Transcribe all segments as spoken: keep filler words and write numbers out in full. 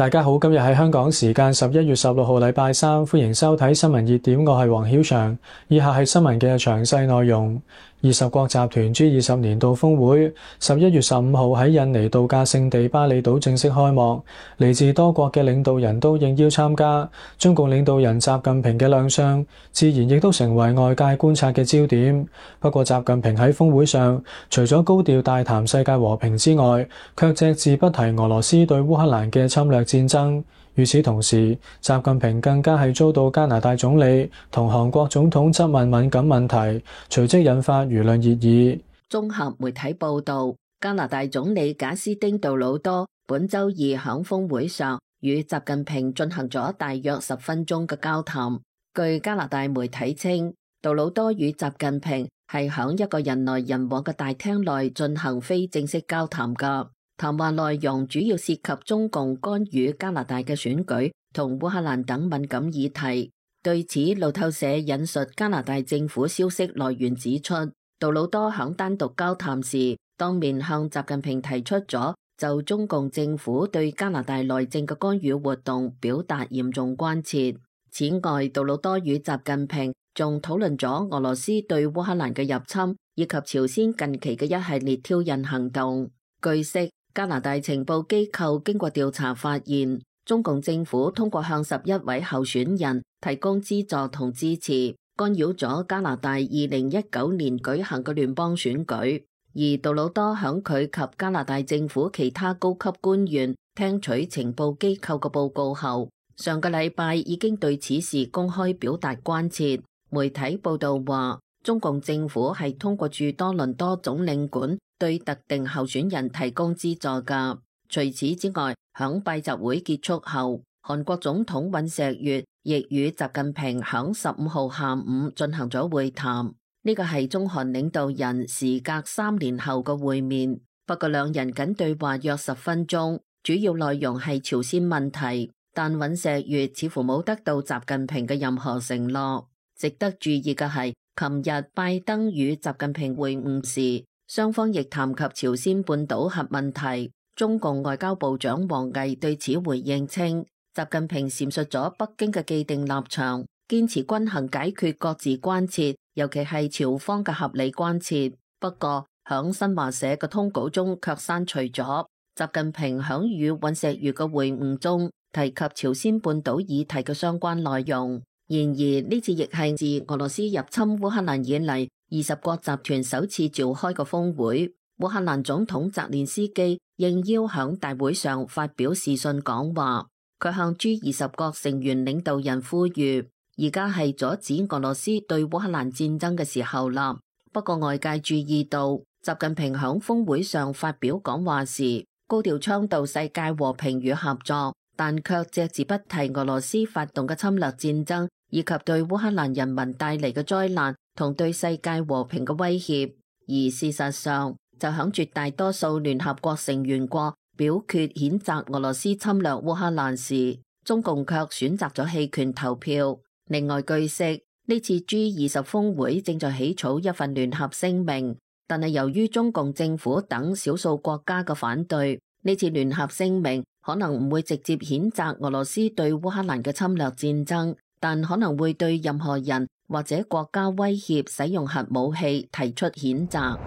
大家好，今日係香港時間十一月十六號禮拜三，歡迎收睇新聞熱點，我係黃曉翔。以下係新聞嘅詳細內容。二十國集團 G 二十年度峰會十一月十五號喺印尼度假勝地巴厘島正式開幕，嚟自多國嘅領導人都應邀參加。中共領導人習近平嘅亮相，自然亦都成為外界觀察嘅焦點。不過，習近平喺峰會上除咗高調大談世界和平之外，卻隻字不提俄羅斯對烏克蘭嘅侵略戰爭。與此同時，習近平更加係遭到加拿大總理同韓國總統質問敏感問題，隨即引發輿論熱議。綜合媒體報道，加拿大總理賈斯汀杜魯多本周二響峰會上與習近平進行咗大約十分鐘嘅交談。據加拿大媒體稱，杜魯多與習近平係響一個人來人往嘅大廳內進行非正式交談㗎。談話內容主要涉及中共干預加拿大嘅選舉同烏克蘭等敏感議題。對此，路透社引述加拿大政府消息來源指出，杜魯多響單獨交談時，當面向習近平提出咗就中共政府對加拿大內政嘅干預活動表達嚴重關切。此外，杜魯多與習近平仲討論咗俄羅斯對烏克蘭嘅入侵，以及朝鮮近期嘅一系列挑釁行動。據悉，加拿大情報機構經過調查發現，中共政府通過向十一位候選人提供資助同支持，干擾咗加拿大二零一九年舉行嘅聯邦選舉。而杜魯多響佢及加拿大政府其他高級官員聽取情報機構嘅報告後，上個禮拜已經對此事公開表達關切。媒體報道話，中共政府係通過駐多倫多總領館對特定候選人提供資助㗎。除此之外，響拜習會結束後，韓國總統尹錫悅亦與習近平響十五號下午進行咗會談。呢個係中韓領導人時隔三年後嘅會面，不過兩人僅對話約十分鐘，主要內容係朝鮮問題，但尹錫悅似乎冇得到習近平嘅任何承諾。值得注意嘅係，琴日拜登與習近平會晤時，雙方亦談及朝鮮半島核問題。中共外交部長王毅對此回應稱，習近平闡述咗北京嘅既定立場，堅持均衡解決各自關切，尤其係朝方嘅合理關切。不過，響新華社嘅通稿中卻刪除咗習近平響與尹錫悅嘅會晤中提及朝鮮半島議題嘅相關內容。然而，呢次亦係自俄羅斯入侵烏克蘭以嚟，二十國集團首次召開嘅峰會。烏克蘭總統澤連斯基應邀響大會上發表視訊講話，佢向 G 二十國成員領導人呼籲，而家係阻止俄羅斯對烏克蘭戰爭嘅時候啦。不過外界注意到，習近平響峰會上發表講話時，高調倡導世界和平與合作，但卻隻字不提俄羅斯發動嘅侵略戰爭，以及對烏克蘭人民帶嚟嘅災難同對世界和平嘅威脅。而事實上，就響絕大多數聯合國成員國表決譴責俄羅斯侵略烏克蘭時，中共卻選擇咗棄權投票。另外據悉，呢次 G 二十峰會正在起草一份聯合聲明，但係由於中共政府等少數國家嘅反對，呢次聯合聲明可能唔會直接譴責俄羅斯對烏克蘭嘅侵略戰爭，但可能會對任何人或者國家威脅使用核武器提出譴責。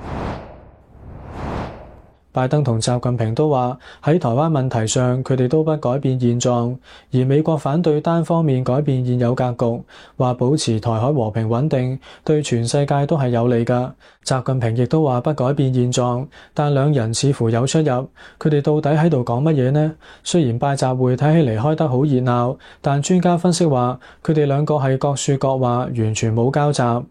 拜登同習近平都話喺台灣問題上，佢哋都不改變現狀，而美國反對單方面改變現有格局，話保持台海和平穩定對全世界都係有利㗎。習近平亦都話不改變現狀，但兩人似乎有出入，佢哋到底喺度講乜嘢呢？雖然拜習會睇起嚟開得好熱鬧，但專家分析話佢哋兩個係各說各話，完全冇交集。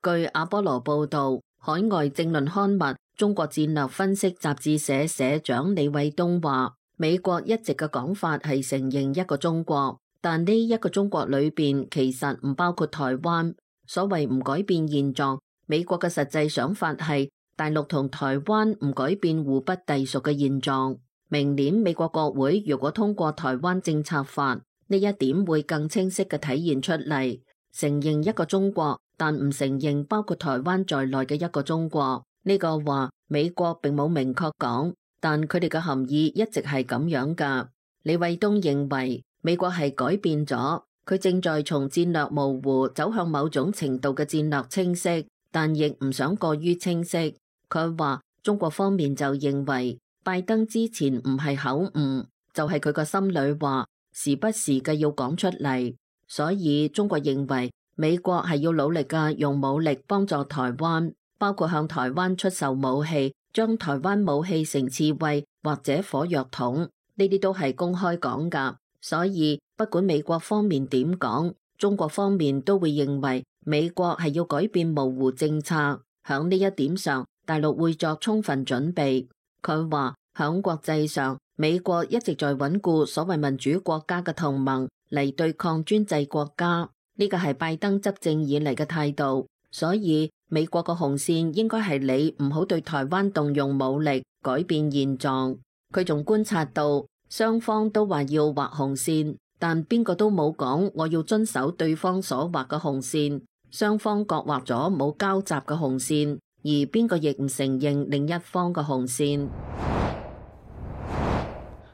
據阿波羅報導，海外政論刊物中國戰略分析雜誌社社長李偉東話，美國一直嘅講法係承認一個中國，但呢一個中國裏邊其實唔包括台灣。所謂唔改變現狀，美國嘅實際想法係大陸同台灣唔改變互不隸屬嘅現狀。明年美國國會如果通過台灣政策法，呢一點會更清晰嘅體現出嚟，承認一個中國，但唔承認包括台灣在內嘅一個中國。呢個話美國並冇明確講，但佢哋嘅含義一直係咁樣㗎。李衛東認為美國係改變咗，佢正在從戰略模糊走向某種程度嘅戰略清晰，但亦唔想過於清晰。佢話中國方面就認為拜登之前唔係口誤，就係佢個心裏話，時不時嘅要講出嚟。所以中國認為美國係要努力嘅用武力幫助台灣，包括向台灣出售武器，將台灣武器成刺蝟或者火藥桶，呢啲都係公開講㗎。所以不管美國方面點講，中國方面都會認為美國係要改變模糊政策。響呢一點上，大陸會作充分準備。佢話響國際上，美國一直在穩固所謂民主國家嘅同盟嚟對抗專制國家，呢個係拜登執政以嚟嘅態度。所以美國嘅紅線應該係你唔好對台灣動用武力改變現狀。佢仲觀察到雙方都話要畫紅線，但邊個都冇講我要遵守對方所畫嘅紅線。雙方各畫咗冇交集嘅紅線，而邊個亦唔承認另一方嘅紅線。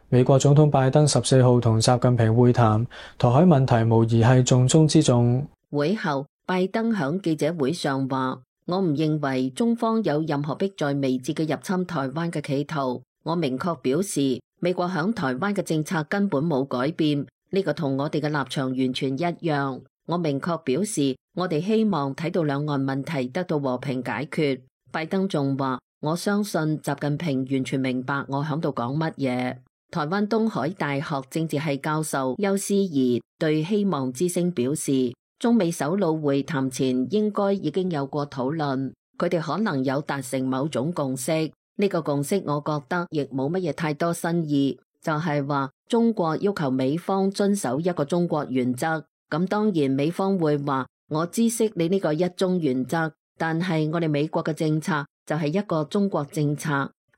美國總統拜登十四號同習近平會談，台海問題無疑係重中之重。會後，拜登響記者會上話：我唔認為中方有任何迫在眉睫嘅入侵台灣嘅企圖。我明確表示，美國響台灣嘅政策根本冇改變，呢個同我哋嘅立場完全一樣。我明確表示，我哋希望睇到兩岸問題得到和平解決。拜登仲話：我相信習近平完全明白我響度講乜嘢。台灣東海大學政治系教授邱思怡對希望之聲表示，中美首腦會談前應該已經有過討論，佢哋可能有達成某種共識。呢個共識我覺得亦冇乜嘢太多新意，就係話中國要求美方遵守一個中國原則。咁當然美方會話，我知悉你呢個一中原則，但係我哋美國嘅政策就係一個中國政策。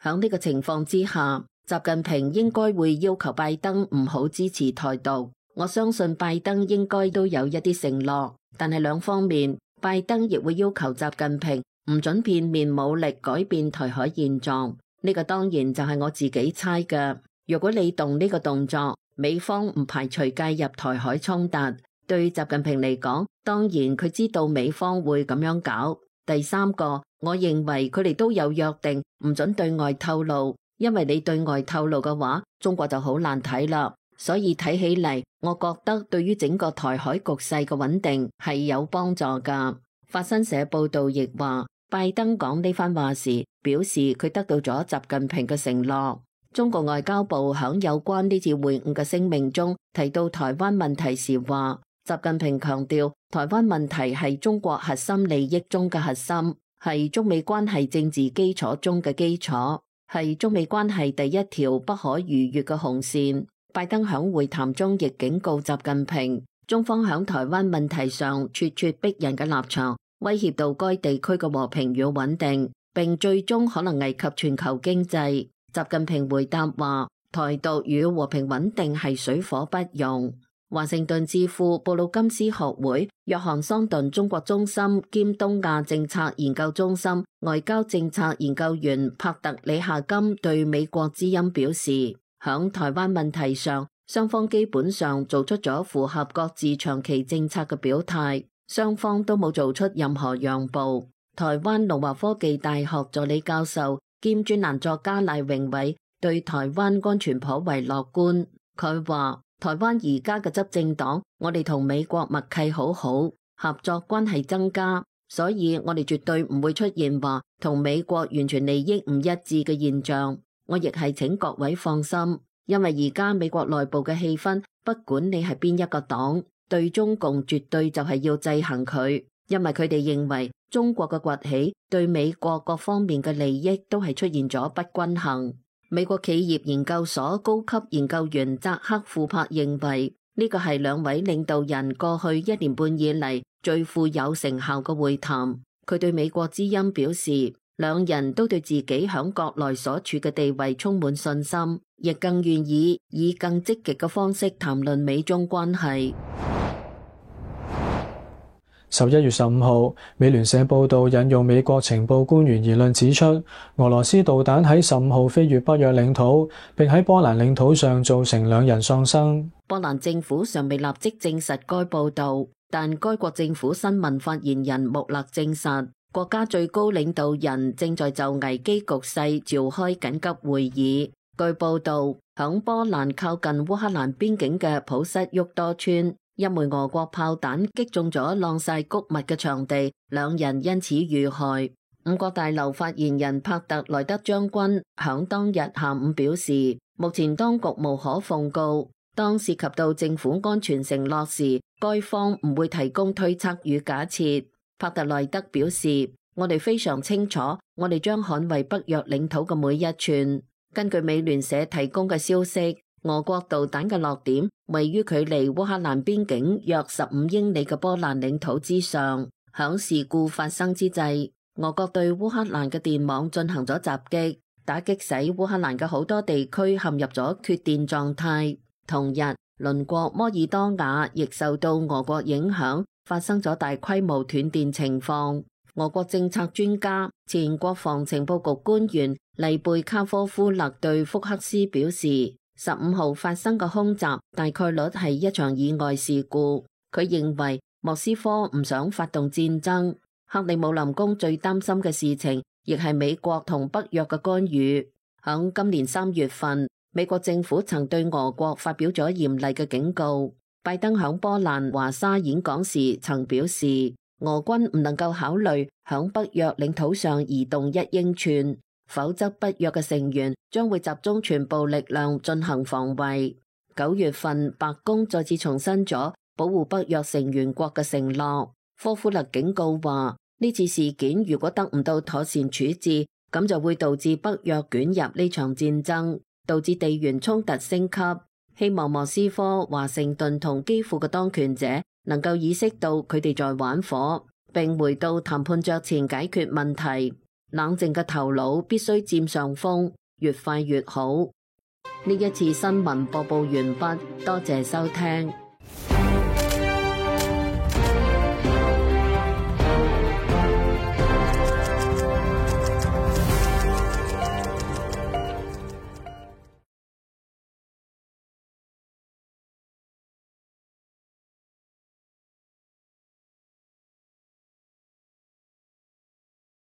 響呢個情況之下，習近平應該會要求拜登唔好支持台獨。我相信拜登應該都有一啲承諾，但係兩方面，拜登亦會要求習近平唔准片面武力改變台海現狀。呢個當然就係我自己猜嘅。如果你動呢個動作，美方唔排除介入台海衝突。對習近平嚟講，當然佢知道美方會咁樣搞。第三個，我認為佢哋都有約定，唔准對外透露，因為你對外透露嘅話，中國就好難睇啦。所以睇起嚟，我覺得對於整個台海局勢嘅穩定係有幫助噶。法新社報道亦話，拜登講呢番話時，表示佢得到咗習近平嘅承諾。中國外交部響有關呢次會晤嘅聲明中提到台灣問題時話，習近平強調，台灣問題係中國核心利益中嘅核心，係中美關係政治基礎中嘅基礎，係中美關係第一條不可逾越嘅紅線。拜登響會談中亦警告習近平，中方響台灣問題上咄咄逼人嘅立場，威脅到該地區嘅和平與穩定，並最終可能危及全球經濟。習近平回答話，台獨與和平穩定係水火不容。華盛頓智庫布魯金斯學會約翰桑頓中國中心兼東亞政策研究中心外交政策研究員帕特里夏金對美國之音表示，響台灣問題上，雙方基本上做出咗符合各自長期政策嘅表態，雙方都冇做出任何讓步。台灣龍華科技大學助理教授兼專欄作家賴榮偉對台灣安全頗為樂觀，佢話，台灣而家嘅執政黨，我哋同美國默契好好，合作關係增加，所以我哋絕對唔會出現話同美國完全利益唔一致嘅現象。我亦係請各位放心，因為而家美國內部嘅氣氛，不管你係邊一個黨，對中共絕對就係要制衡佢，因為佢哋認為中國嘅崛起對美國各方面嘅利益都係出現咗不均衡。美國企業研究所高級研究員扎克庫珀認為，呢個係兩位領導人過去一年半以嚟最富有成效嘅會談。佢對美國之音表示，兩人都對自己響國內所處嘅地位充滿信心，亦更願意以更積極嘅方式談論美中關係。十一月十五號，美聯社報道引用美國情報官員言論指出，俄羅斯導彈喺十五號飛越北約領土，並喺波蘭領土上造成兩人喪生。波蘭政府尚未立即證實該報導，但該國政府新聞發言人穆勒證實，國家最高領導人正在就危機局勢召開緊急會議。據報導，響波蘭靠近烏克蘭邊境嘅普什沃多村，一枚俄國炮彈擊中咗晾曬穀物嘅場地，兩人因此遇害。五角大樓發言人帕特萊德將軍響當日下午表示，目前當局無可奉告，當涉及到政府安全承諾時，該方唔會提供推測與假設。帕特萊德表示，我哋非常清楚，我哋將捍衛北約領土嘅每一寸。根據美聯社提供嘅消息，俄國導彈嘅落點位於距離烏克蘭邊境約十五英里嘅波蘭領土之上。響事故發生之際，俄國對烏克蘭嘅電網進行咗襲擊，打擊使烏克蘭嘅好多地區陷入咗缺電狀態。同日，鄰國摩爾多瓦亦受到俄國影響，發生咗大規模斷電情況。俄國政策專家、前國防情報局官員利貝卡科夫勒對福克斯表示，十五號發生嘅空襲大概率係一場意外事故。佢認為莫斯科唔想發動戰爭。克里姆林宮最擔心嘅事情，亦係美國同北約嘅干預。響今年三月份，美國政府曾對俄國發表咗嚴厲嘅警告。拜登響波蘭華沙演講時曾表示，俄軍唔能夠考慮響北約領土上移動一英寸，否則北約嘅成員將會集中全部力量進行防衛。九月份，白宮再次重申咗保護北約成員國嘅承諾。科夫勒警告話，呢次事件如果得唔到妥善處置，咁就會導致北約捲入呢場戰爭，導致地緣衝突升級。希望莫斯科、華盛頓同基輔嘅當權者能夠意識到佢哋在玩火，並回到談判桌前解決問題。冷靜嘅頭腦必須佔上風，越快越好。呢一次新聞播報完畢，多謝收聽。